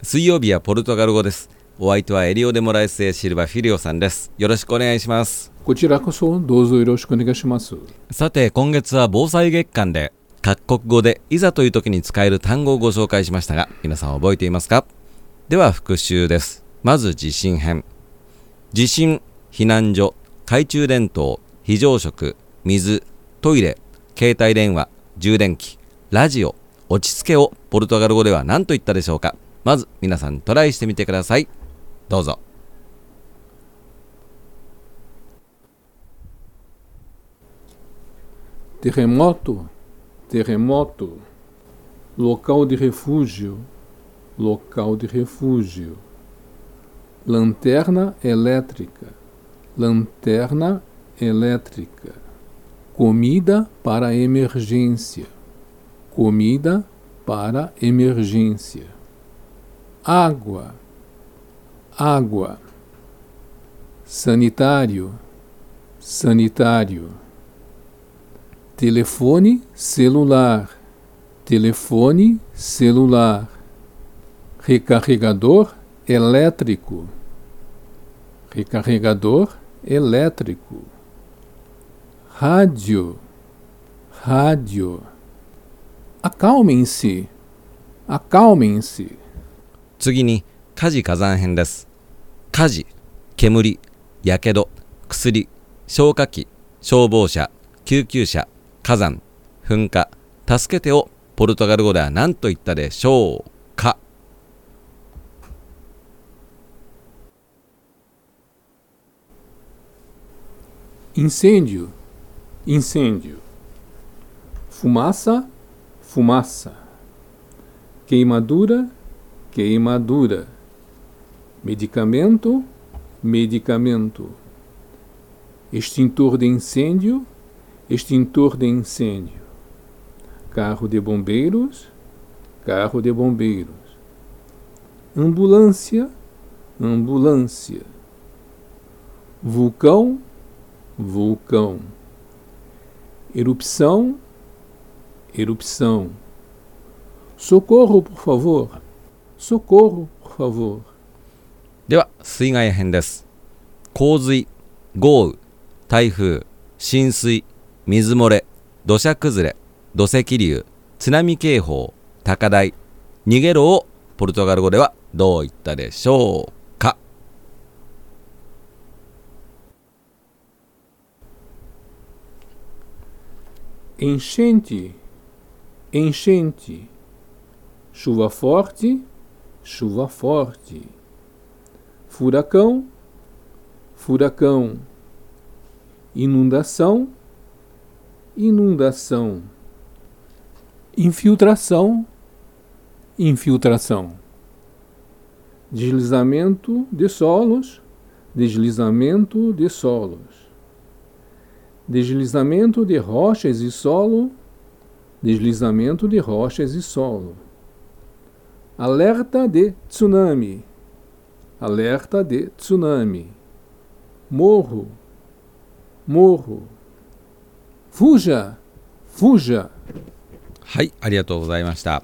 水曜日はポルトガル語です。お相手はエリオデモラエスエシルバフィリオさんです。よろしくお願いします。こちらこそどうぞよろしくお願いします。さて、今月は防災月間で各国語でいざという時に使える単語をご紹介しましたが、皆さん覚えていますか？では復習です。まず地震編。地震、避難所、懐中電灯、非常食、水、トイレ、携帯電話、充電器、ラジオ、落ち着けをポルトガル語では何と言ったでしょうか？まず皆さんトライしてみてください。どうぞ。Terremoto, terremoto. Local de refúgio, local de refúgio. Lanterna elétrica, lanterna elétrica. Comida para emergência, comida para emergência. Água, água. Sanitário, sanitário. Telefone celular, telefone celular. Recarregador elétrico, recarregador elétrico. Rádio, rádio. Acalmem-se, acalmem-se. 次に火事火山編です。火事、煙、やけど、薬、消火器、消防車、救急車、火山、噴火、助けてをポルトガル語では何と言ったでしょうか？Incêndio, incêndio. Fumaça, fumaça. Queimadura, queimadura. Medicamento, medicamento. Extintor de incêndio, extintor de incêndio. Carro de bombeiros, carro de bombeiros. Ambulância, ambulância. Vulcão, vulcão. Erupção, erupção. Socorro, por favor. Socorro, por favor. では水害編です。洪水、豪雨、台風、浸水、水漏れ、土砂崩れ、土石流、津波警報、高台、逃げろをポルトガル語ではどう言ったでしょうか？Enchente, enchente. Chuva forte, chuva forte. Furacão, furacão. Inundação, inundação. Infiltração, infiltração. Deslizamento de solos, deslizamento de solos. Deslizamento de rochas e solo, deslizamento de rochas e solo. Alerta de tsunami, alerta de tsunami. Morro, morro. Fuja, fuja. はい、ありがとうございました。